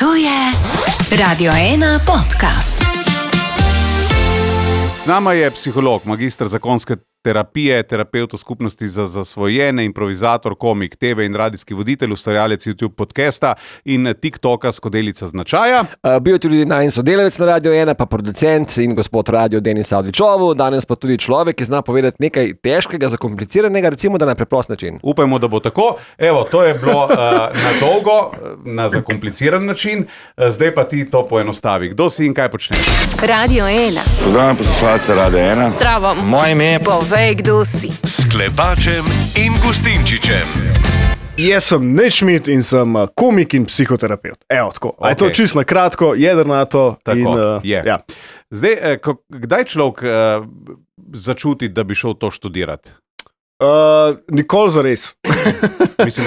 To je Radio 1 podcast. Z nama je psiholog, magister zakonske terapije, terapevt v skupnosti za zasvojene, improvizator, komik, TV in radijski voditelj, ustvarjalec YouTube podcasta in TikToka Skodelica značaja. Bil je tudi najin sodelavec na Radio 1, pa producent in gospod radio Denis Avdićovu, danes pa tudi človek, ki zna povedati nekaj težkega, zakompliciranega, recimo da na preprost način. Upajmo, da bo tako. Evo, to je bilo na dolgo, na zakompliciran način, zdaj pa ti to poenostavi. Kdo si in kaj počneš? Radio 1. Pozdravljam poslušalce Radio 1. Zdravo. Moje ime je Povej, kdo si. S Klepačem in Gustinčičem. Jaz sem Nešmit in sem komik in psihoterapeut. Evo, tako. Okay. Je to čisto na kratko, jedrnato. Tako, in, je. Ja. Zdaj, kdaj človek začuti, da bi šel to študirati? Nikoli zares. Mislim,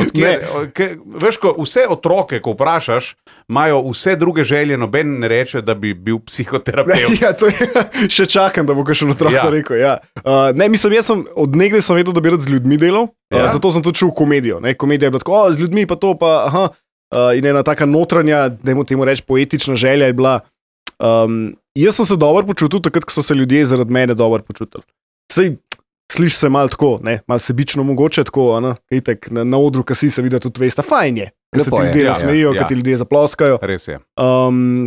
veš, ko vse otroke, ko vprašaš, imajo vse druge želje, noben ne reče, da bi bil psihoterapeut. Ja, to je, še čakam, da bo kakšen otrok to rekel. Ja. Jaz sem od nekdaj vedel, da bi rad z ljudmi delal, zato sem tudi šel v komedijo. Ne? Komedija je bila tako, z ljudmi pa to, pa aha. In ena taka notranja, dajmo temu reči, poetična želja je bila. Jaz sem se dobro počutil, takrat, ko so se ljudje zaradi mene dobro počutili. Sliši se malo tako, malo sebično mogoče, tako, itek, na odru, ki si se vidi, tudi veste, fajn je, da se ti ljudje nasmejijo, da ti ljudje zaploskajo. Res je.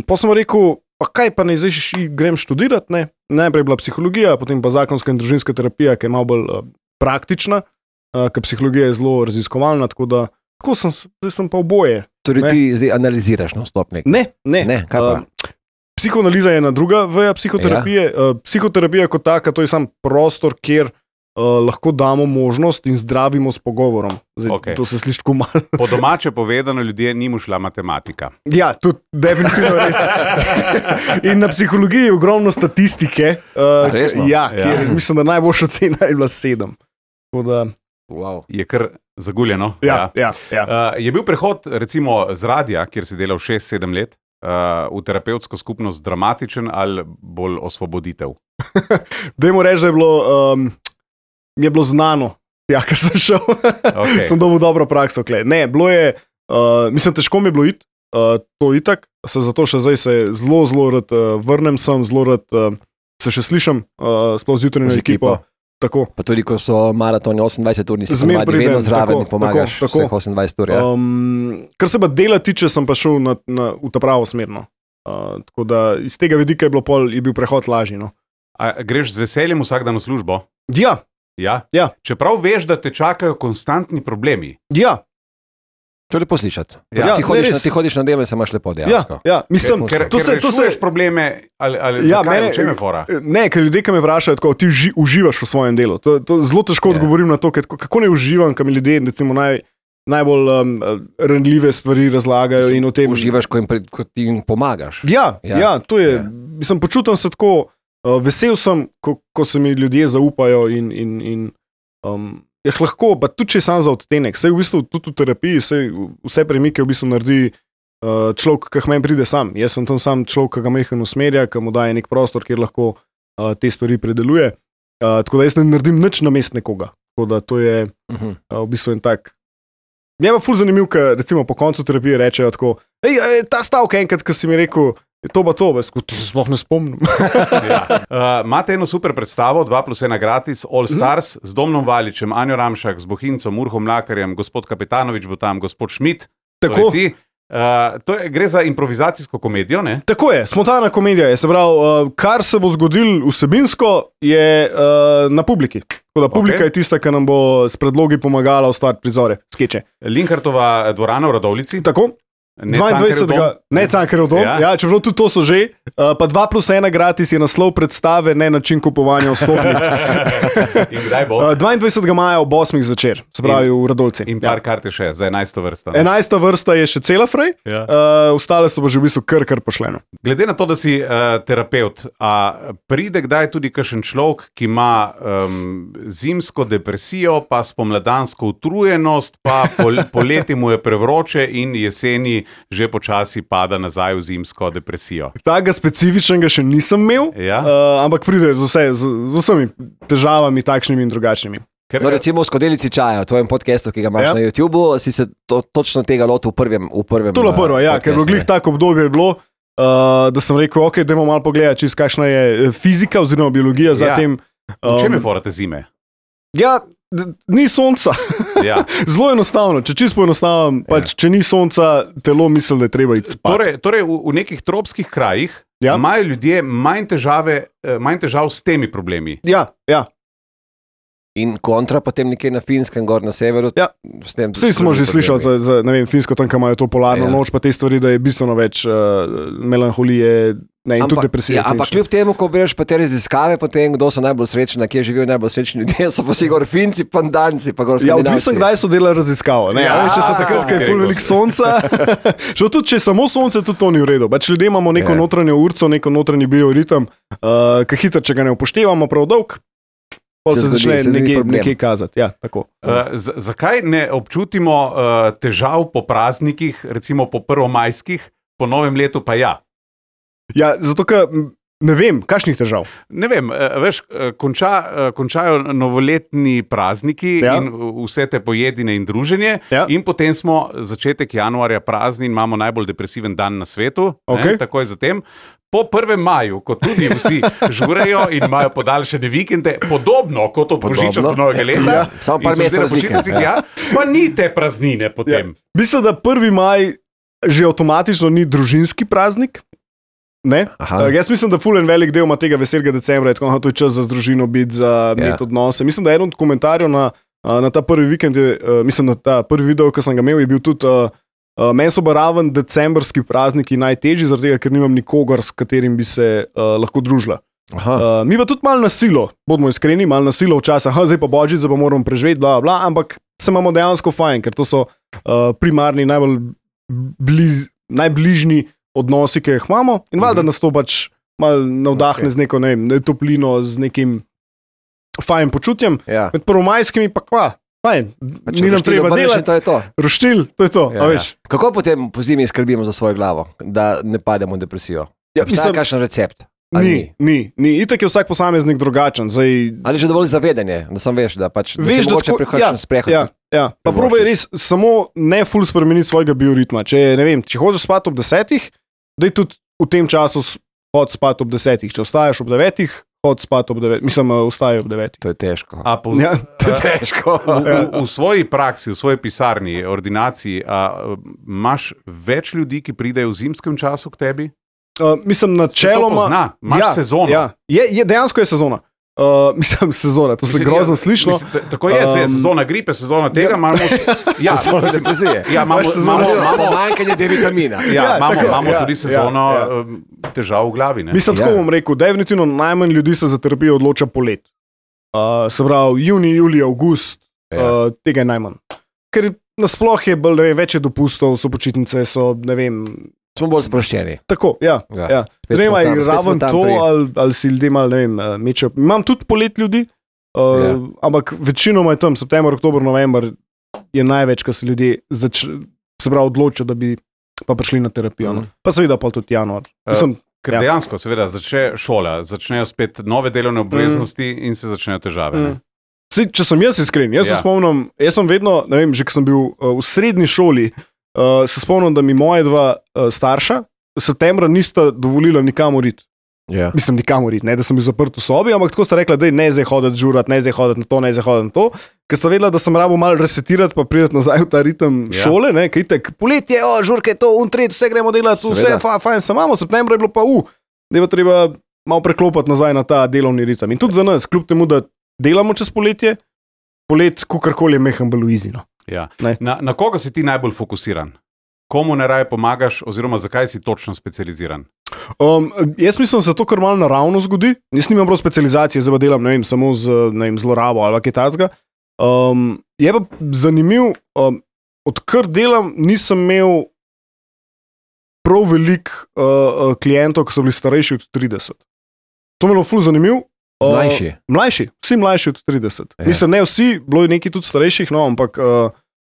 Pa sem rekel, pa kaj pa ne zdaj grem študirati, ne? Najprej je bila psihologija, potem pa zakonska in družinska terapija, ki je malo bolj praktična, ker psihologija je zelo raziskovalna, tako sem pa oboje. Torej ti zdaj analiziraš na stopnik? Ne. Kaj pa? Psihoanaliza je ena druga veja psihoterapije. Psihoterapija kot taka, to je sam prostor, kjer lahko damo možnost in zdravimo s pogovorom. Zdaj, okay. To se sliši tako malo. Po domače povedano, ljudje ni mu šla matematika. Ja, tudi definitivno res. In na psihologiji je ogromno statistike. Resno? Ja. Mislim, da najboljša cena je bila 7. Wow. Je kar zaguljeno. Ja. Je bil prehod recimo z radia, kjer si delal 6-7 let, v terapevtsko skupnost dramatičen ali bolj osvoboditev? Dajmo reči, da mi je bilo znano, kaj sem šel. Okay. Sem dobil dobro prakso. Ne, bilo je, mislim, težko mi je bilo iti, to itak, zato še zdaj se zelo rad vrnem sem, zelo rad se še slišim, sploh z jutranjo ekipo. Tako. Pa tudi, ko so maratoni 28 ur, nisi vedno zraven in pomagaš vseh 28 ur. Ja. Kar se pa dela tiče, sem pa šel v ta pravo smerno. Tako da iz tega vidika je bil prehod lažji. No. A greš z veseljem vsak dan v službo? Ja. Čeprav veš, da te čakajo konstantni problemi. Ja. To je lepo slišati. Ja, ti hodiš na delo in se imaš lepo dejansko. Ja. Mislim, ker rešuješ probleme ali zakaj, v čem je fora? Ne, ker ljudje, ki me vprašajo, tako, ti uživaš v svojem delu. To zelo težko odgovorim na to, kako ne uživam, kam ljudje recimo najbolj ranljive stvari razlagajo. In o tem uživaš, ko ti jim pomagaš. Ja, to je. Mislim, počutim se tako, vesel sem, ko se mi ljudje zaupajo in lahko, pa tudi če sam za odtenek, saj v bistvu tudi v terapiji, vse premike v bistvu naredi človek, ki meni pride sam. Jaz sem tam sam človek, ki ga mehen usmerja, ki mu daje nek prostor, kjer lahko te stvari predeluje. Tako da jaz ne naredim nič namesto nekoga. Tako da to je v bistvu en tak. Mje pa ful zanimiv, ker recimo po koncu terapije rečejo tako, ta stavek enkrat, ki si mi rekel, to, ti se sploh ne spomnim. Imate eno super predstavo, 2+1 gratis, All Stars, z Domnom Valičem, Anjo Ramšak, z Bohincem, Urhom Mlakarjem, gospod Kapetanovič bo tam, gospod Šmit. Tako. Gre za improvizacijsko komedijo, ne? Tako je, spontana komedija je, se pravi, kar se bo zgodilo vsebinsko, je na publiki. Tako da publika je tista, ki nam bo s predlogi pomagala ustvariti prizore, skeče. Linhartova dvorana v Radovljici. Tako. 22. Ne Cankarjev dom, čeprav tudi to so že. Pa 2+1 gratis je naslov predstave, ne način kupovanja vstopnic. In kdaj bo? 22. maja ob 8. zvečer, se pravi v Radovljici. In par karte še za 11. vrsta. 11. vrsta je še cela frej, ostale so pa že v bistvu kar pošljeno. Glede na to, da si terapeut, a pride kdaj tudi kakšen človek, ki ima zimsko depresijo, pa spomladansko utrujenost, pa poleti mu je prevroče in jeseni že počasi pada nazaj v zimsko depresijo. Takega specifičnega še nisem imel, ampak pride z vsemi težavami, takšnimi in drugačnimi. Ker, No, recimo v Skodelici čaja, v tvojem podcastu, ki ga imaš na YouTubu, si se točno tega lotil v prvem. To je prvo, ker v glih tako obdobje je bilo, da sem rekel, ok, dajmo malo pogledati, kakšna je fizika oziroma biologija za tem. V čem je fora te zime? Ja, ni sonca. Ja. Zelo enostavno, če čisto enostavno, pač, če ni sonca, telo misli, da je treba iti spat. Torej v nekih tropskih krajih imajo ljudje manj težav s temi problemi. Ja. In kontra potem nekje na Finskem, gor na severu. Ja. Vsi smo že slišali za Finsko, tam, kam imajo to polarno noč, pa te stvari, da je bistveno več melanholije in tudi depresije. Ampak kljub temu, ko bereš pa te raziskave, potem kdo so najbolj srečni, kje živijo najbolj srečni ljudje, so pa si gor Finci, pandanci, pa gor Skandinavci. Odvisno, kdaj so delali raziskavo. Še so takrat, ko je ful veliko sonca. Tudi če je samo sonce, tudi to ni v redu. Pač ljudje imamo neko notranjo urco, neko notranji bioritem, ki hitro, če ga ne upoštevamo prav dolg, pa se začne nekaj kazati. Ja, zakaj ne občutimo težav po praznikih, recimo po prvomajskih, po novem letu pa ja? Ja, zato ker ne vem, kakšnih težav. Ne vem, veš, končajo novoletni prazniki in vse te pojedine in druženje in potem smo začetek januarja prazni in imamo najbolj depresiven dan na svetu, takoj zatem. Po 1. maju, ko tudi vsi žurejo in imajo podaljšene vikende, podobno kot od Božiča do Novega leta, samo par mesecev razlike. Pa ni te praznine potem. Mislim, da 1. maj že avtomatično ni družinski praznik. Jaz mislim, da ful en velik del ima tega veselega decembra, tako to je čas za družino biti, za imeti odnose. Mislim, da eden od komentarjev na ta prvi vikend, mislim, da ta prvi video, ki sem ga imel, je bil tudi meni so raven decembrski prazniki najtežji, zaradi tega, ker nimam nikogar, s katerim bi se lahko družila. Mi pa tudi malo na silo, bodimo iskreni, malo na silo včasih, zdaj pa Božič, zdaj pa moramo preživeti, bla, bla, ampak se imamo dejansko fajn, ker to so primarni, najbližji odnosi, ki jih imamo in valjda nas to pač malo navdahne z neko, ne vem, toplino, z nekim fajn počutjem. Med prvomajskimi pa kva. Fajn, ni nam treba delati, roštilj, to je to. Kako potem po zimi skrbimo za svojo glavo, da ne pademo v depresijo? Obstaja kakšen recept? Ni. Itak je vsak posameznik drugačen. Ali že dovolj zavedanje, da sam veš, da se mogoče prihodnji sprehod. Pa probaj res samo ne ful spremeniti svojega bioritma. Če hočeš spati ob 10, daj tudi v tem času hod spati ob 10. Če ostaješ ob 9, hod spat ob 9, mislim, vstajajo ob 9. To je težko. To je težko. V svoji praksi, v svoji pisarni, ordinaciji, imaš več ljudi, ki pridejo v zimskem času k tebi? Mislim, načeloma. Imaš sezono. Dejansko je sezona. Mislim, sezona, to se grozno slišno. Tako je, sezona gripe, sezona tega, imamo sezona depresije. Imamo manjkanje D-vitamina. Imamo tudi sezono težav v glavi. Mislim, tako bom rekel, definitivno najmanj ljudi se za terapijo odloča polet. Se pravi, juni, julij, avgust, tega je najmanj. Ker nasploh je več dopustov, so počitnice, so, ne vem, smo bolj sproščeni. Tako, ja. Ne vem, raven to, ali si ljudje malo, ne vem, mečejo. Imam tudi polet ljudi, ampak večinoma je tam september, oktober, november je največ, ko se ljudje se pravi odločijo, da bi pa prišli na terapijo. Pa seveda pa tudi januar. Ker dejansko, seveda, začne šola, začnejo spet nove delovne obveznosti in se začnejo težave. Če sem jaz iskren, jaz se spomnim, jaz sem vedno, ne vem, že ko sem bil v srednji šoli, se spomnim, da mi moje dva starša septembra nista dovolila nikamor iti. Mislim, nikamor iti, ne da sem bil zaprt v sobi, ampak tako sta rekla, da ne zdaj hoditi žurati, ne zdaj hoditi na to, ne zdaj hoditi na to, ker sta vedela, da sem rabo malo resetirati, pa prideti nazaj v ta ritem šole, ne, kaj itek, poletje, žurke, to, tret, vse gremo delati, vse fajn se imamo, septembra je bilo pa da je pa treba malo preklopati nazaj na ta delovni ritem. In tudi za nas, kljub temu, da delamo čez poletje, kakorkoli je mehen beluizino. Na koga si ti najbolj fokusiran? Komu najraje pomagaš, oziroma zakaj si točno specializiran? Jaz mislim, da se to kar malo naravno zgodi. Jaz nimam prav specializacije, zdaj pa delam, ne vem, samo z zlorabo ali kaj takega. Je pa zanimiv, odkar delam, nisem imel prav veliko klientov, ki so bili starejši od 30. To mi je bilo ful zanimiv. Mlajši, vsi mlajši od 30. Mislim, ne vsi, bilo je nekaj tudi starejših, no, ampak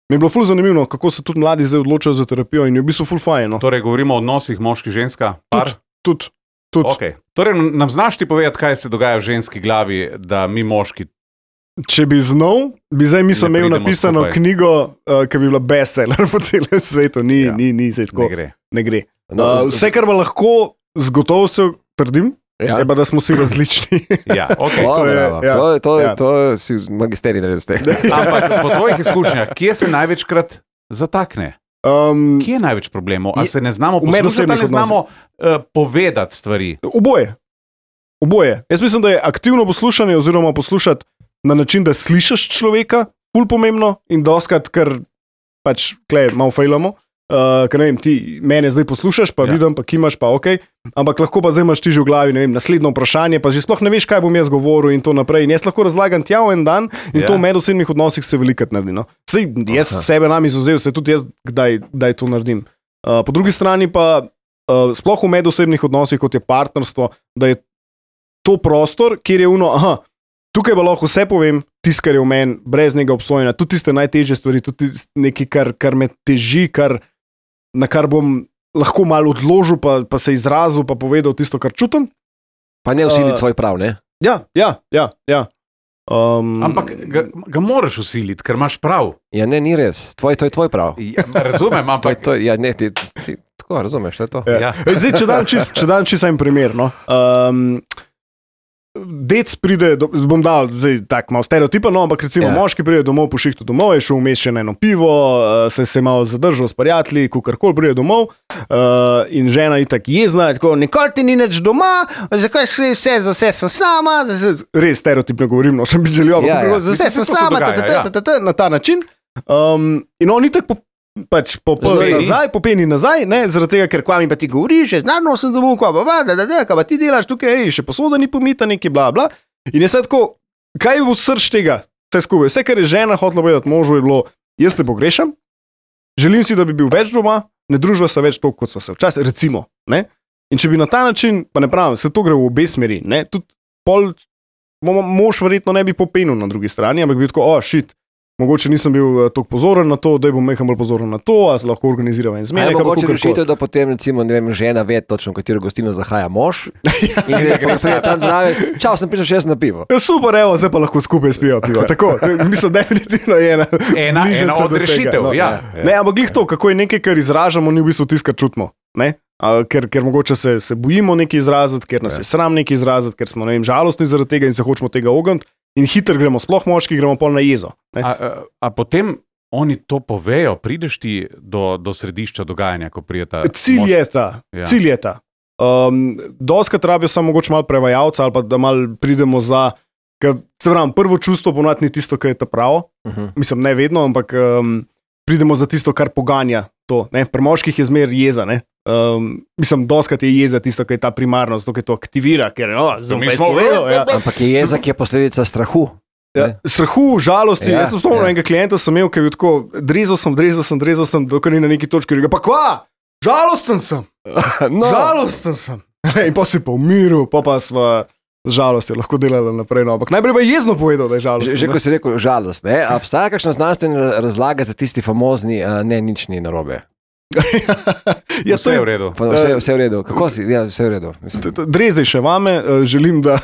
mi je bilo ful zanimivo, kako se tudi mladi zdaj odločajo za terapijo in je v bistvu ful fajn. No. Torej, govorimo o odnosih moški-ženska? Tudi. Okay. Torej, nam znaš ti povedati, kaj se dogaja v ženski glavi, da mi moški Če bi znal, bi zdaj mislim Ne imel pridemo napisano skupaj. knjigo, ki bi bila bestseller po celem svetu. Ni zdaj tako. Ne gre. No, Vse, kar pa lahko z gotovostjo trdim, Ja. je pa, da smo vsi različni. Ja, okay. O, to je- bravo. ja. To si magisterij naredil s tem. Ampak po tvojih izkušnjah, kje se največkrat zatakne? Kje je največ problemov? Ali se ne znamo v poslušati, medosebnih ali ne znamo povedati stvari? Oboje. Jaz mislim, da je aktivno poslušanje oziroma poslušati na način, da slišiš človeka, ful pomembno in doskrat, ker pač klej malo fejlamo. Ker ne vem, ti mene zdaj poslušaš, pa vidim, pa kimaš, pa ok, ampak lahko pa zdaj imaš ti že v glavi, ne vem, naslednjo vprašanje, pa že sploh ne veš, kaj bom jaz govoril in to naprej. In jaz lahko razlagam tja v en dan in to v medosebnih odnosih se velikrat naredi. No. Sej jaz sebe nam izuzel, se tudi jaz kdaj to naredim. Po drugi strani pa sploh v medosebnih odnosih, kot je partnerstvo, da je to prostor, kjer je tukaj pa lahko vse povem, tisto, kar je v meni, brez njega obsojena, tudi tiste najtežje stvari, tudi nekaj, kar me teži, na kar bom lahko malo odložil, pa se izrazil, pa povedal tisto, kar čutim. Pa ne vsiliti svoj prav, ne? Ja. Ampak ga moraš usiliti, ker imaš prav. Ja, ne, ni res. To je tvoj prav. Ja, razumem, ampak Ja, ne, ti tako razumeš, to je to. Ja. Zdaj, če dam čisto en primer. No. Dec pride, bom dal zdaj tako malo stereotipa, no, ampak recimo moški pride domov po šihtu domov, je šel vmes še na eno pivo, se malo zadržal s prijatelji, kakorkoli pride domov in žena je tako jezna, tako nikoli ti ni nič doma, zakaj si vse, za vse sem sama, res stereotipno govorim, no, sem bi želel, ampak za vse sem sama, na ta način. In on je tako popeni nazaj, ne, zaradi tega, ker kva mi pa ti govoriš, znano sem domov, kva pa ti delaš tukaj, še posoda ni pomita, neki bla bla. In je sad tako, kaj je v srč tega, vse skupaj, vse, kar je žena hotela povedati možu, je bilo, jaz te pogrešam, želim si, da bi bil več doma, ne druživa se več toliko, kot so se včasih, recimo, ne. In če bi na ta način, pa ne pravim, se to gre v obe smeri, ne, tudi mož verjetno ne bi popenil na drugi strani, ampak bi tako, shit, mogoče nisem bil toliko pozoren na to, da bom nekaj bolj pozoren na to, a se lahko organiziramo in zmeraj. Mogoče rešitev, da potem recimo, ne vem, žena ve točno, v katero gostilno zahaja mož in gre tam zraven, čau, sem prišel še jaz na pivo. Ja, super, evo, zdaj pa lahko skupaj spijo pivo. Tako, mislim, definitivno je ena od rešitev. Ja. Ne, ampak glih to, kako je nekaj, kar izražamo, ni v bistvu tisto, kar čutimo. Ker mogoče se bojimo nekaj izraziti, ker nas je sram nekaj izraziti, ker smo, ne vem, žalostni zaradi tega in se hočemo tega ogniti. In hitro gremo, sploh moški, gremo pol na jezo. A potem oni to povejo, prideš ti do središča dogajanja, ko prijeta? Cilj je ta. Doskrat rabijo samo mogoče malo prevajalca ali pa da malo pridemo za, se pravim, prvo čustvo ponavadi ni tisto, kar je ta pravo. Mislim, ne vedno, ampak pridemo za tisto, kar poganja to. Ne? Pri moških je zmer jeza, ne? Mislim, doskrat je jeza tisto, kar je ta primarnost, to, kar to aktivira, ker ampak je jeza, ki je posledica strahu. Strahu, žalosti. Jaz sem spomnil enega klienta, sem imel, ki je tako, drezal sem, dokaj ni na neki točki, rekel, pa kva, žalosten sem. Žalosten sem. In pa si pa umiril, pa sva z žalostjo lahko delala naprej. No. Ampak najprej pa jezno povedal, da je žalosten. Že ko si rekel žalost, ne? A obstaja kakšna znanstvena razlaga za tisti famozni, ne, nič ni narobe? Ja, vse je v redu. Vse v redu. Kako si? Ja, vse v redu. Drezaj še vame, želim, da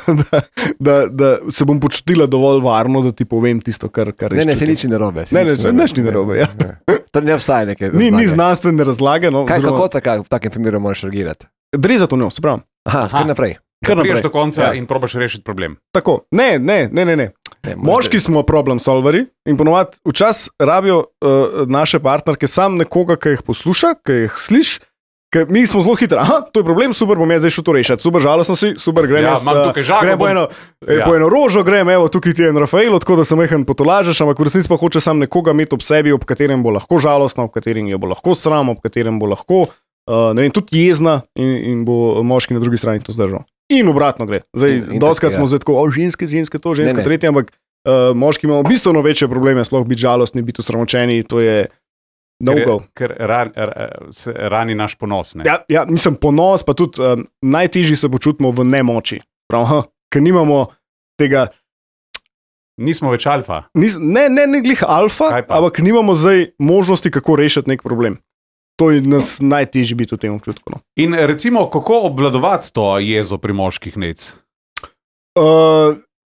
se bom počutila dovolj varno, da ti povem tisto, kar rečeš. Ne, se nič ni narobe. Nič ni narobe, ja. To ne obstaja nekaj. Ni znanstvene razlage. No, kako v takem primeru moraš reagirati? Drezaj to njo, se pravim. Kar naprej. Priješ do konca in probaš rešiti problem. Tako, ne. Moški smo problem solveri in ponovadi včasih rabijo naše partnerke sam nekoga, ki jih posluša, ki jih sliši, ker mi smo zelo hitri. Aha, to je problem, super, bom jaz zdaj šel to rešiti. Super, žalostno si, super, grem po eno rožo, evo, tukaj ti je en Rafael, tako da se mehen potolažeš, ampak v resnici pa hoče sam nekoga imeti ob sebi, ob katerem bo lahko žalostna, ob katerem jo bo lahko sram, ob katerem bo lahko, ne vem, tudi jezna in bo moški na drugi strani to zdržal. In obratno gre. Zdaj, doskrat smo zdaj tako, ženske to, ženske tretje, ampak moški imamo bistveno večje probleme, sploh biti žalostni, biti usramočeni, to je no-go. Ker rani naš ponos. Ne? Ja, mislim, ponos, pa tudi najtežji se počutimo v nemoči. Ker nimamo tega. Nismo več alfa. Ne glih alfa, ampak nimamo zdaj možnosti, kako rešiti nek problem. To je nas najtežje biti v tem občutku. No. In recimo, kako obvladovati to jezo pri moških nec?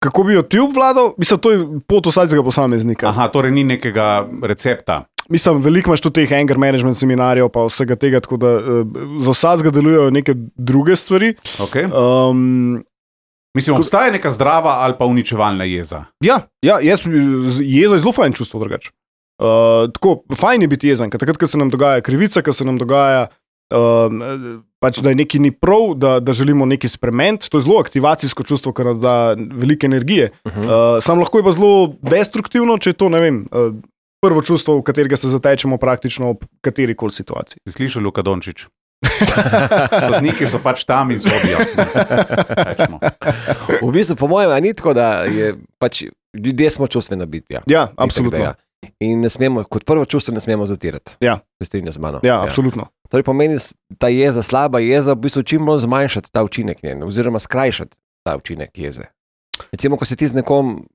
Kako bi jo ti obvladal? Mislim, to je pot vsakega posameznika. Aha, torej ni nekega recepta. Mislim, veliko imaš tudi teh anger management seminarjev, pa vsega tega, tako da za vsakega delujejo neke druge stvari. Okay. Mislim, obstaja neka zdrava ali pa uničevalna jeza. Ja, jeza je zelo fajn čustvo drugače. Tako, fajn je biti jezen, ker takrat, ko se nam dogaja krivica, ko se nam dogaja, pač, da je nekaj ni prav, da želimo nekaj spremeniti, to je zelo aktivacijsko čustvo, ker nam da veliko energije. Sam lahko je pa zelo destruktivno, če je to, ne vem, prvo čustvo, v katerega se zatečemo praktično ob katerikoli situaciji. Si slišal, Luka Dončić? Sodniki so pač tam in sobijo. V bistvu, po mojem, ni tako, da je pač ljudje smo čustvena bitja. Ja, absolutno. In ne smemo, kot prvo čustvo ne smemo zatirati. Ja. Se strinja z mano. Ja, absolutno. Torej pomeni ta jeza, slaba jeza, v bistvu čim bolj zmanjšati ta učinek njen, oziroma skrajšati ta učinek jeze. Recimo, ko se ti z nekom,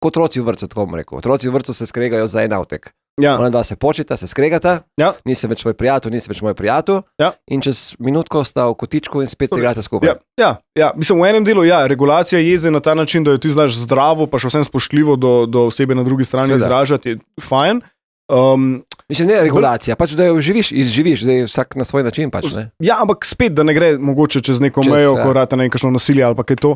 kot otroci v vrtcu, tako bom rekel, otroci v vrtcu se skregajo za en avtek. Ja. Ona dva se počita, se skregata, ja. Nisi več tvoj prijatelj, nisi več moj prijatelj, ja. In čez minutko sta v kotičku in spet se igrate skupaj. Ja. Mislim, v enem delu, regulacija jeze na ta način, da jo ti znaš zdravo, pa še vsem spoštljivo do osebe na drugi strani izražati, je fajn. Mislim, ne regulacija, pač da jo izživiš, da je vsak na svoj način. Pač, ne? Ja, ampak spet, da ne gre mogoče čez neko mejo, ko rata nekakšno nasilje ali pa kaj to.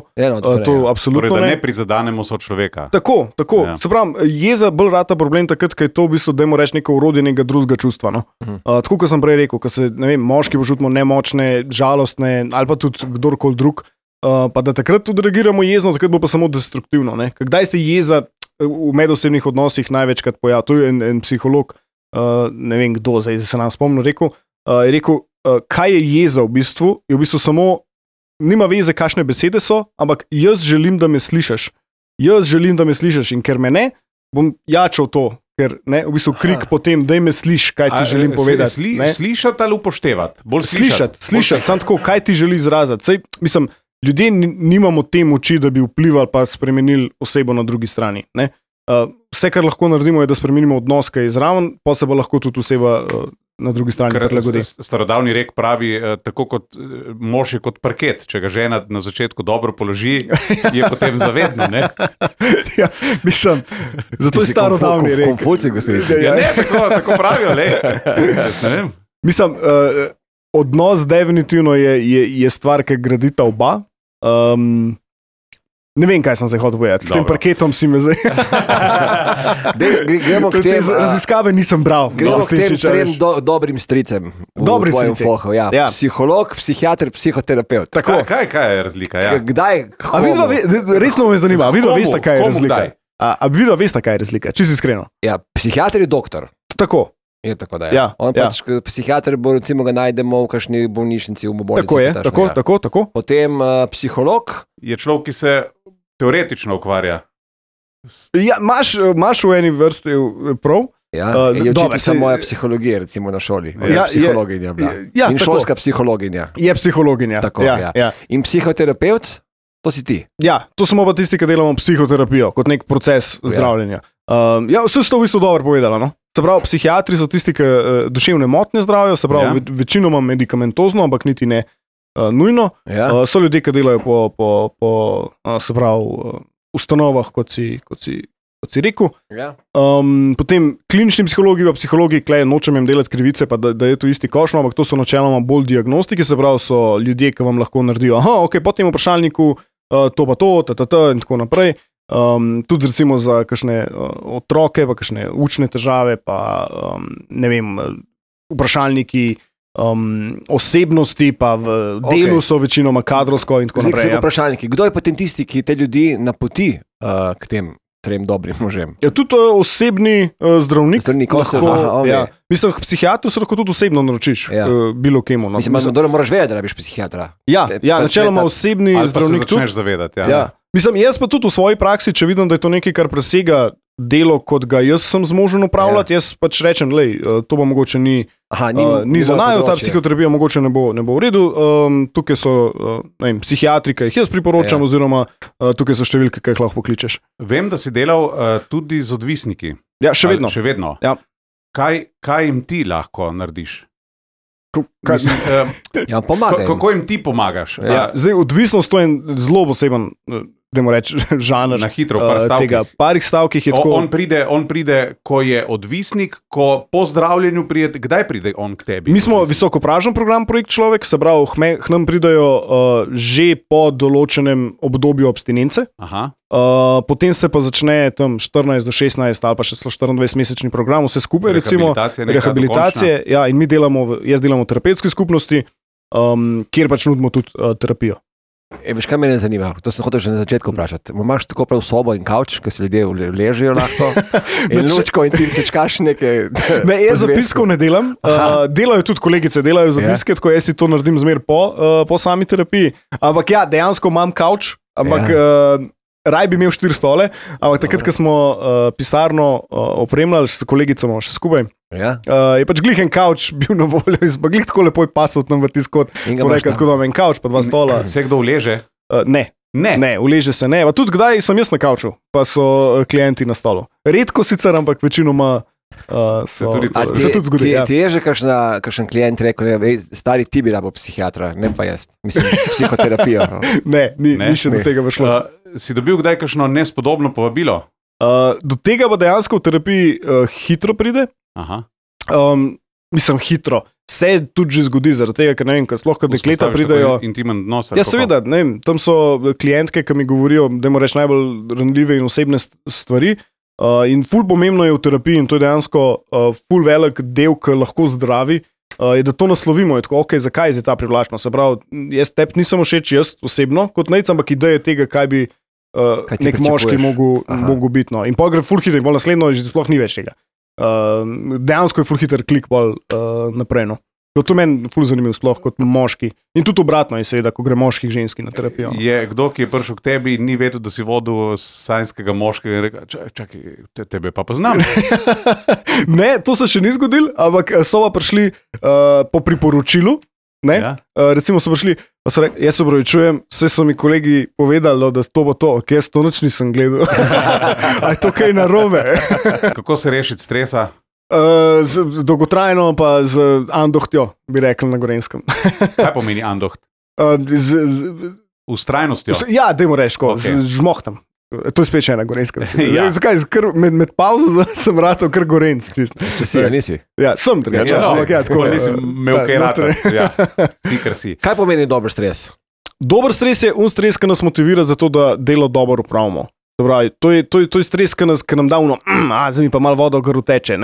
To absolutno torej, da ne prizadanemo sočloveka. Tako. Ja. Se pravi, jeza bolj rata problem takrat, ker je to v bistvu, dajmo reči, neko urodje nekega drugega čustva. No? Tako, kot sem prej rekel, ko se, ne vem, moški počutimo nemočne, žalostne ali pa tudi kdorkoli drug, pa da takrat tudi reagiramo jezno, takrat bo pa samo destruktivno. Ne? Kdaj se jeza v medosebnih odnosih največkrat pojavi? To je en psiholog, ne vem kdo, zdaj se nam spomnil, je rekel, kaj je jeza v bistvu, je v bistvu samo, nima veze, kakšne besede so, ampak jaz želim, da me slišiš. In ker me ne, bom jačal to, ker ne, v bistvu krik potem, daj me sliš, kaj ti želim povedati. Slišati ali upoštevati? Slišati, samo tako, kaj ti želi izraziti. Sej, mislim, ljudje nimamo te moči, da bi vplivali pa spremenili osebo na drugi strani. Ne? Vse, kar lahko naredimo, je, da spremenimo odnos, ki je zraven, pa se bo lahko tudi oseba na drugi strani prilagodi. Starodavni rek pravi, tako kot mož je kot parket, če ga žena na začetku dobro položi, je potem zavedno. Ne? Ja, mislim, zato je starodavni rek. Konfucij, gospodin. Ja, ne, tako pravijo, le. Ne vem. Mislim, odnos definitivno je stvar, ki gradita oba. Ne vem, kaj sem se hotel povedati. S tem parketom si me zdaj. Gremo k tem. Raziskave nisem bral. Gremo k tem trem dobrim stricem. Dobrim stricem. Ja. Psiholog, psihiater, psihoterapeut. Tako. Kaj je razlika? Ja. Kdaj? Resno me zanima. Vidva veste, kaj je razlika. Vidva veste, kaj je razlika. Čisto iskreno. Ja, psihiater je doktor. Tako. Je tako, da je. Ja, pač, psihiater bo, recimo, ga najdemo v kakšni bolnišnici, v bolnici. Tako je, tako. Potem psiholog. Je človek, ki se teoretično ukvarja. Ja, imaš v eni vrsti prav. Ja, je učiteljica moja psihologija, recimo na šoli. Psihologinja bila. In tako. Šolska psihologinja. Je psihologinja. Tako, ja. In psihoterapeut, to si ti. Ja, to smo pa tisti, ki delamo psihoterapijo, kot nek proces zdravljenja. Vse ste v bistvu dobro povedali, no? Se pravi, psihiatri so tisti, ki duševne motnje zdravijo, se pravi, večinoma medikamentozno, ampak niti ne nujno. Ja. So ljudje, ki delajo po se pravi, ustanovah, kot si rekel. Ja. Potem klinični psihologi, pa psihologi, klej, nočem jim delati krivice, pa da je to isti košno, ampak to so načeloma bolj diagnostiki, se pravi, so ljudje, ki vam lahko naredijo, po tem vprašalniku, to pa to, in tako naprej. Tudi recimo za kakšne otroke, pa kakšne učne težave, pa ne vem, vprašalniki osebnosti, pa v delu so večinoma kadrovsko in tako naprej. Zdaj, vprašalniki. Kdo je potem tisti, ki te ljudi napoti k tem trem dobrim možem? Ja, tudi osebni zdravnik. Ja. Mislim, psihiatru se lahko tudi osebno naročiš, bilo kemu. No. Mislim, da moraš vedeti, da rabiš psihiatra. Ja, načeloma osebni zdravnik tudi. Ali pa se začneš zavedati. Ja. Mislim, jaz pa tudi v svoji praksi, če vidim, da je to nekaj, kar presega delo, kot ga jaz sem zmožen upravljati, jaz pač rečem, to pa mogoče ni za najo, ta psihoterapija mogoče ne bo v redu. Tukaj so psihiatri, ki jih jaz priporočam, oziroma tukaj so številke, ki jih lahko pokličeš. Vem, da si delal tudi z odvisniki. Ja, še vedno. Ja. Kaj jim ti lahko narediš? Pomagaj. Kako jim ti pomagaš? Ja. Zdaj, odvisnost to je en zelo poseben dajmo reči, žanr Na hitro, v par stavkih. tega. Parih stavkih je tako. On pride, ko je odvisnik, ko po zdravljenju pride. Kdaj pride on k tebi? Mi smo visokopražen program Projekt Človek, se pravi, k nam pridajo že po določenem obdobju abstinence. Aha. Potem se pa začne tam 14 do 16 ali pa še 24-mesečni program, vse skupaj, recimo rehabilitacije. Ja, in jaz delam v terapevtski skupnosti, kjer pač nudimo tudi terapijo. Veš, kaj me zanima? To sem hotel že na začetku vprašati. Imaš tako prav sobo in kavč, ki se ljudje ležijo lahko, in lučko in ti čekaš nekaj. Ne, jaz zapiskov ne delam. Delajo tudi kolegice, delajo zapiske, tako jaz si to naredim zmer po sami terapiji. Ampak ja, dejansko imam kavč, ampak raj bi imel 4 stole, ampak takrat, ko smo pisarno opremljali s kolegicama še skupaj, je pač glih en kavč bil na voljo, glih tako lepo je pasal tam v tiskot. Smo rekli, tako da imam en kavč, pa 2 stola. Se kdo uleže? Ne, uleže se ne. Pa tudi kdaj sem jaz na kavču, pa so klienti na stolu. Redko sicer, ampak večinoma se tudi zgodi. Ti je že kakšen klient rekel, stari ti bi rabo psihiatra, ne pa jaz. Mislim, psihoterapijo. Ne, ni še do tega šlo. Si dobil kdaj kakšno nespodobno povabilo? Do tega pa dejansko v terapiji hitro pride. Aha. Mislim, hitro. Se tudi že zgodi, zaradi tega, ker ne vem, sploh kad dekleta pridejo. Intimen odnos. Ja, seveda, ne vem, tam so klientke, ki mi govorijo, da jim reč najbolj ranljive in osebne stvari. In ful pomembno je v terapiji, in to je dejansko ful velik del, ki lahko zdravi, je, da to naslovimo. Je tako, zakaj je ta privlačnost? Se pravi, jaz tebi nisem všeč, jaz osebno, kot nec, ampak ideja tega, kaj bi nek moški mogel biti. No. In pa gre ful hitro, in bolj naslednjo že sploh ni več tega. Dejansko je ful hiter klik bolj naprej. No. To meni ful zanimivo, sploh kot moški. In tudi obratno je seveda, ko gre moški k ženski na terapijo. Je kdo, ki je prišel k tebi in ni vedel, da si vodil sanjskega moškega in rekel, čakaj, tebe pa poznam. Ne, to se še ni zgodilo, ampak so pa prišli po priporočilu. Ja. Recimo so prišli, pa so rekli, jaz se opravičujem, vse so mi kolegi povedali, da to bo to, jaz to noč nisem gledal. A je to kaj narobe? Kako se rešiti stresa? Dolgotrajno pa z andohtjo, bi rekel na Gorenskem. Kaj pomeni andoht? Ustrajnostjo? Ja, dajmo reči, z žmohtom. To je spet še ena Gorenska. Ja. Zakaj? Med pauzo sem ratal kar Gorenc. Če si, nisi? Ja, sem drugače. Tako nisem imel kaj ratal. Ja, si, kar si. Kaj pomeni dober stres? Dober stres je stres, ki nas motivira za to, da delo dobro upravimo. To je stres, ki nam da zdaj mi pa malo voda v grlu teče.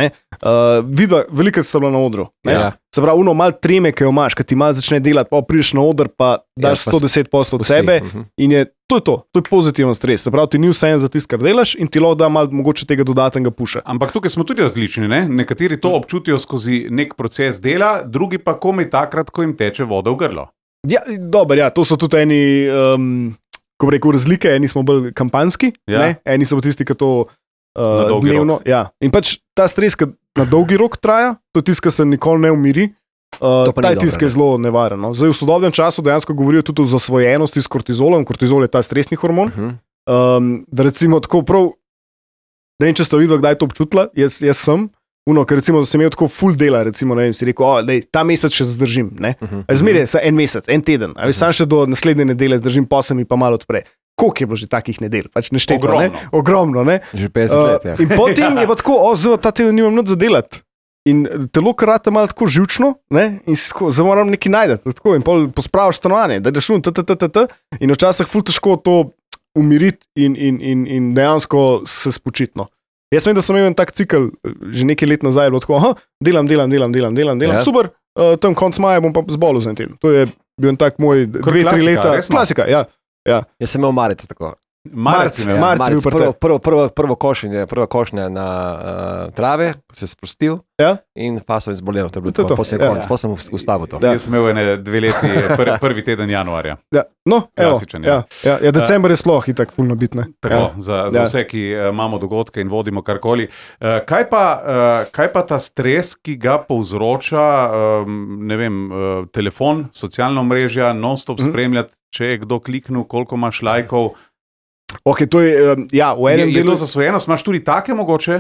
Vidva, veliko sta bila na odru. Ja. Se pravi, malo treme, ki jo imaš, ki ti malo začne delati, pa prideš na oder, pa daš 110% od sebe. In to je pozitiven stres. Se pravi, ti ni vse za tisto, kar delaš, in ti lahko da malo mogoče tega dodatnega puša. Ampak tukaj smo tudi različni. Ne? Nekateri to občutijo skozi nek proces dela, drugi pa komaj takrat, ko jim teče voda v grlo. Ja, dobro, ja, to so tudi eni. Ko bi rekel razlike, eni smo bolj kampanjski, eni so tisti, ki to dnevno. Ja. In pač ta stres, ki na dolgi rok traja, to je tisti, ki se nikoli ne umiri, ta je tisti, ki je zelo nevaren. No. Zdaj v sodobnem času dejansko govorijo tudi o zasvojenosti s kortizolom. Kortizol je ta stresni hormon. Da recimo tako prav, ne vem, če ste videli, kdaj je to občutila, jaz sem. Ker recimo, da sem imel tako full dela, recimo, ne vem, si rekel, ta mesec še zdržim, zmeraj je en mesec, en teden, sam še do naslednje nedelje zdržim, pa se mi pa malo odpre. Koliko je bilo že takih nedelj? Pač nešteto, ogromno, ne? Že 50 let, ja. In potem je pa tako, ta teden nimam nič za delati. In telo karate malo tako živčno, in zdaj moram nekaj najdeti, in pol pospraviš stanovanje, da ideš in včasih full težko to umiriti in dejansko se spočiti. Jaz vem, da sem imel en tak cikl, že nekaj let nazaj, bilo tako, delam, ja. Super, tam konc maja bom pa zbolel za en teden. To je bil en tak moj 2-3 leta. Klasika, ja. Jaz sem imel marec tako. Marec bil prvo košnja na trave, se je sprostil, in pa sem izbolel. To je bilo to, pa sem ustavil to. Jaz sem imel 2 leti, prvi teden januarja. Ja. No, klasičen. December je sploh itak fulno bitne. Tako, za vse, ki imamo dogodke in vodimo karkoli. Kaj pa ta stres, ki ga povzroča, ne vem, telefon, socialna mreža, non-stop spremljati, če je kdo kliknil, koliko imaš lajkov. Okay, to je, ja, v enem delu zasvojenost, imaš tudi take mogoče?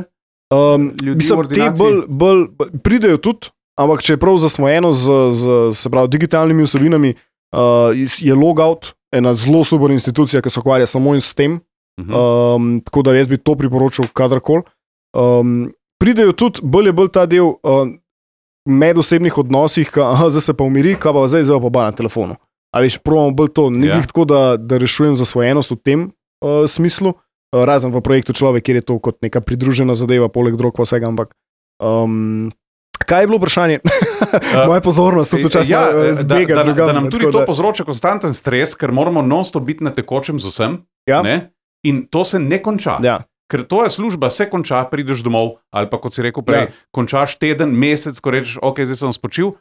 Mislim, te bolj pridejo tudi, ampak če je prav zasvojeno z digitalnimi vsebinami, je logout ena zelo super institucija, ki se ukvarja samo in s tem. Tako da jaz bi to priporočil kadarkoli. Pridejo tudi bolj ta del medosebnih odnosih, zdaj se pa umiri, kaj pa zdaj pa ba na telefonu. A veš, probamo bolj to, ni glih tako, da rešujem zasvojenost v tem smislu, razen v projektu Človek, kjer je to kot neka pridružena zadeva, poleg drog pa vsega, ampak kaj je bilo vprašanje? Moja pozornost tudi včasih zbega drugam. Da nam tudi to povzroča konstanten stres, ker moramo non-stop biti na tekočem z vsem, ne? In to se ne konča. Ja. Ker tvoja služba se konča, prideš domov, ali pa kot si rekel prej, končaš teden, mesec, ko rečeš, ok, zdaj sem spočil,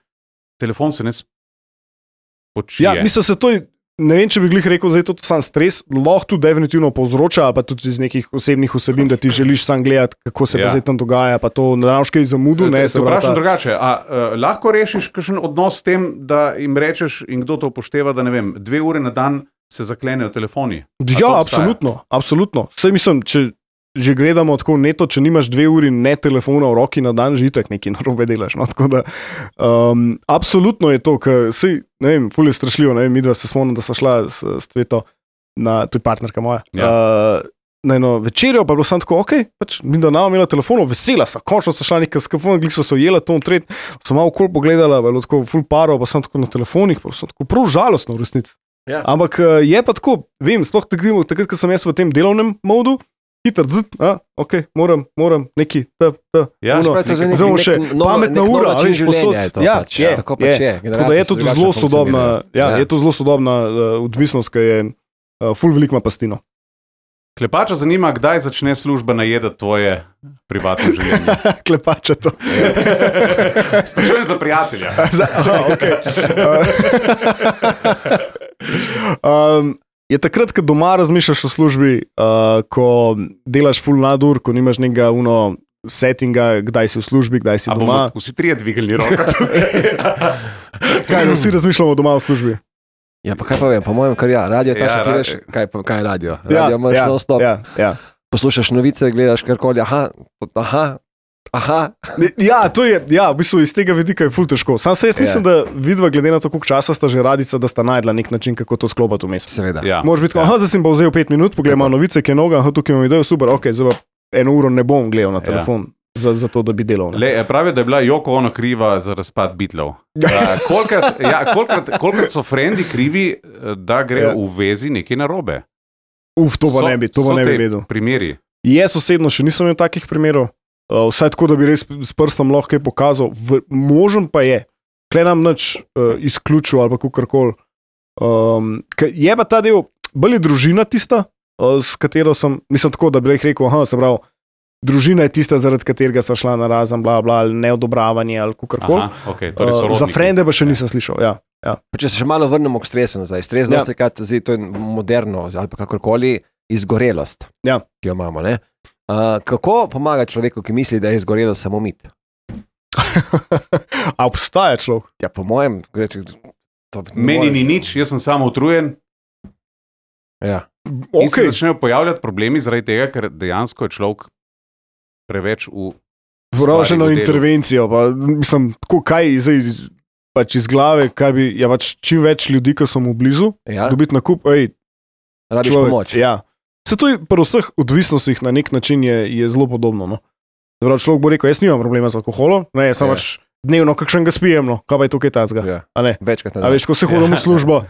telefon se ne spočije. Ja, mislim, se to je, ne vem, če bi glih rekel, zdaj to sam stres, lahko tudi definitivno povzroča, ali pa tudi iz nekih osebnih vsebin, da ti želiš sam gledati, kako se pa zdaj tam dogaja, pa to ne daš kaj zamudu. Te vprašam drugače, lahko rešiš kakšen odnos s tem, da jim rečeš in kdo to upošteva, da ne vem, 2 ure na dan se zaklenejo telefoni? Ja, absolutno. Saj mislim, če že gledamo tako neto, če nimaš 2 uri ne telefona v roki na dan, že itak nekaj narobe delaš. No? Tako da, absolutno je to, ker sej, ne vem, ful je strašljivo, ne vem, midva se spomnim, da sva šla s Tveto, to je partnerka moja, na eno večerjo, pa je bilo samo tako, ok, pač midva nama imela telefonov, vesela sva, končno sva šla nekaj skafona, glih sva se ujela, to tret, sva malo okol pogledala, pa je bilo tako ful paro, pa sem tako na telefonih, pa sem tako prav žalostno v resnici. Ja. Ampak je pa tako, vem, sploh takrat, ko sem jaz v tem delovnem modu, hiter, ok, moram neki, zelo še pametna ura, ali posod. Tako da je to zelo sodobna, je to zelo sodobna odvisnost, ki je ful veliko pastino. Klepača zanima, kdaj začne služba najedati tvoje privatno življenje. Klepača to. Sprašujem za prijatelja. Je takrat, ko doma razmišljaš o službi, ko delaš full nadur, ko nimaš nekega settinga, kdaj si v službi, kdaj si doma. Vsi trije dvigali roko. Kaj, vsi razmišljamo doma v službi? Ja, pa kaj pa vem, po mojem, kar radio, ta še ti veš, kaj je radio? Radio imaš non-stop. Poslušaš novice, gledaš karkoli, aha. Ja, to je, v bistvu iz tega vidika je ful težko. Sam se jaz mislim, da vidva, glede na to, koliko časa sta že radica, da sta najdla nek način, kako to sklopati vmes. Seveda. Možeš biti, zdaj sem pa vzel 5 minut, pogledaj malo novice, ki je noga, tukaj imam idejo, super, ok, zdaj pa 1 uro ne bom gledal na telefon. Za to, da bi delal. Pravi, da je bila Yoko Ono kriva za razpad Beatlov. Kolikrat so frendi krivi, da gre v vezi nekaj narobe? To pa ne bi vedel. Primeri. Jaz osebno še nisem imel takih primerov. Vsaj tako, da bi res s prstom lahko kaj pokazal. Možen pa je. Klej nam nič izključil ali pa kakorkoli. Je pa ta del, bolj je družina tista, s katero sem, mislim tako, da bi rekel, se pravi, družina je tista, zaradi katerega so šla na razen, bla, bla, ali neodobravanje, ali kakorkoli. Za frende pa še nisem slišal, ja. Če se še malo vrnemo k stresu nazaj. Stres dostikrat, to je moderno, ali pa kakorkoli, izgorelost, ki jo imamo, ne? Kako pomaga človeku, ki misli, da je izgorelost samo mit? A obstaja človek? Ja, po mojem, meni ni nič, jaz sem samo utrujen. Ja. In se začnejo pojavljati problemi zaradi tega, ker dejansko je človek preveč vraženo intervencijo. Pa, mislim, tako kaj zdaj pač iz glave, kaj bi, pač čim več ljudi, ki so mu blizu, dobiti nakup, rabiš pomoč. Ja. Se to je pri vseh odvisnostih na nek način je zelo podobno. No? Zdaj, človek bo rekel, jaz nimam problema z alkoholom, ne, jaz sem pač dnevno kakšnega spijem, no, kaj pa je tukaj tazga. Večkrat ne. A veš, ko se hodim v službo,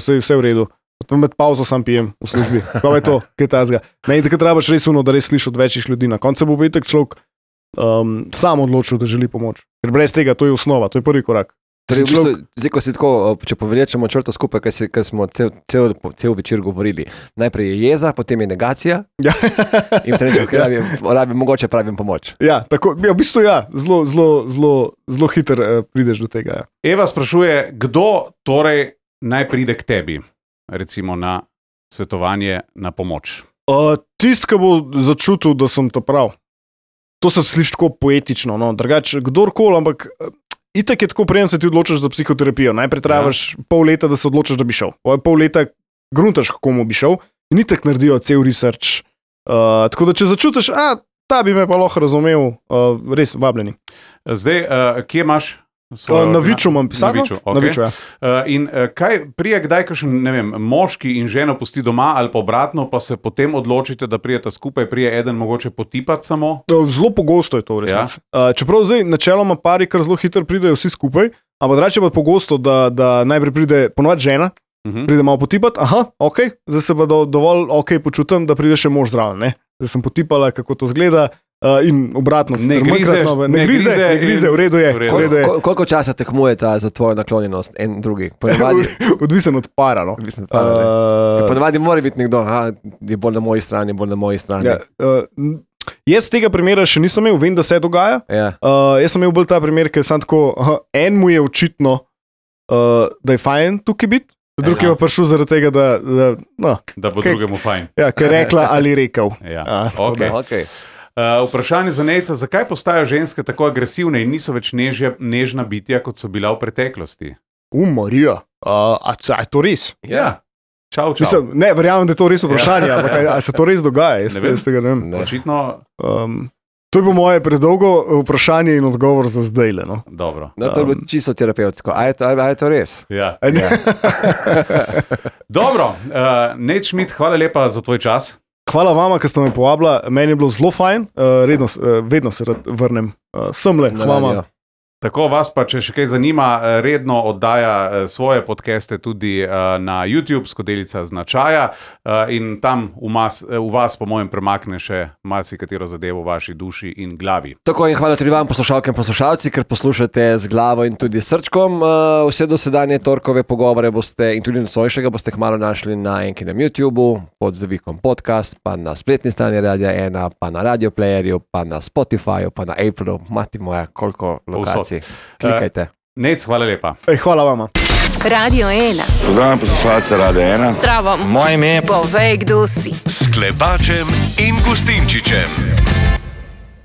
vse v redu. Med pauzo sam pijem v službi. Kaj je to, kaj je tazga. Ne, in takrat trebaš res da res sliši od večjih ljudi. Na koncu bo itak človek sam odločil, da želi pomoč. Ker brez tega, to je osnova, to je prvi korak. Zdaj, ko si tako, če povlečemo črto skupaj, kar smo cel večer govorili. Najprej je jeza, potem je negacija. In v trenutek, mogoče pravim pomoč. Ja, tako, v bistvu zelo hiter prideš do tega. Eva sprašuje, kdo torej naj pride k tebi, recimo na svetovanje, na pomoč? Tisti, ki bo začutil, da sem to prav. To se sliši tako poetično, no, drugače, kdorkoli, ampak itak je tako, preden se ti odločiš za psihoterapijo. Najprej trajaš pol leta, da se odločiš, da bi šel. Pol leta gruntaš, kako mu bi šel, in itak naredijo cel research. Tako da, če začutiš, ta bi me pa lahko razumel, res vabljeni. Zdaj, kje imaš Na Viču imam pisarno. Okay. Na Viču, ja. In kaj prije, kdaj kakšen, ne vem, moški in ženo pusti doma ali pa obratno, pa se potem odločite, da prijete skupaj, prije eden mogoče potipati samo? Zelo pogosto je to, res. Čeprav zdaj načeloma pari kar zelo hitro pridejo vsi skupaj, ampak drugače pa pogosto, da najprej pride ponovadi žena, pride malo potipati, ok, zdaj se pa dovolj ok počutim, da pride še mož zraven, ne? Zdaj sem potipala, kako to zgleda. In obratno, ne grize, v redu je. Koliko časa tekmujete za tvojo naklonjenost en drugi? Odvisen od para. No. Ponavadi mora biti nekdo, je bolj na moji strani, bolj na moji strani. Jaz tega primera še nisem imel, vem, da se dogaja. Jaz sem imel bolj ta primer, ker sem tako, en mu je očitno, da je fajn tukaj biti, drugi je pa prišel zaradi tega, da bo drugemu fajn. Ja, ker je rekla ali rekel. Okay. Vprašanje za Nejca, zakaj postajajo ženske tako agresivne in niso več nežna bitja, kot so bila v preteklosti? Marija, a je to res? Ja. Čau. Mislim, ne, verjamem, da je to res vprašanje, ampak a se to res dogaja? Ne vem. Očitno... To je po moje predolgo vprašanje in odgovor za zdaj. No? Dobro. To je bilo čisto terapevtsko. A je to res? Ja. Dobro, Nejc Šmid, hvala lepa za tvoj čas. Hvala vama, ker ste me povabila. Meni je bilo zelo fajn, vedno se rad vrnem semle. Hvala. Tako vas pa, če še kaj zanima, redno oddaja svoje podcaste tudi na YouTube, Skodelica značaja, in tam v vas, po mojem, premakne še marsikatero zadevo v vaši duši in glavi. Tako in hvala tudi vam, poslušalke in poslušalci, ker poslušate z glavo in tudi srčkom. Vse dosedanje torkove pogovore boste in tudi nocojšega boste kmalu našli na enkinem YouTubeu, pod zavikom podcast, pa na spletni strani Radia 1, pa na Radio Playerju, pa na Spotifyju, pa na Appleu. Mati moja, koliko lokacij. Klikajte. Nejc, hvala lepa. Hvala vama. Radio 1. Pozdravljam poslušalce Radia 1. Zdravo. Moje ime je Povej, kdo si. S Klepačem in Gustinčičem.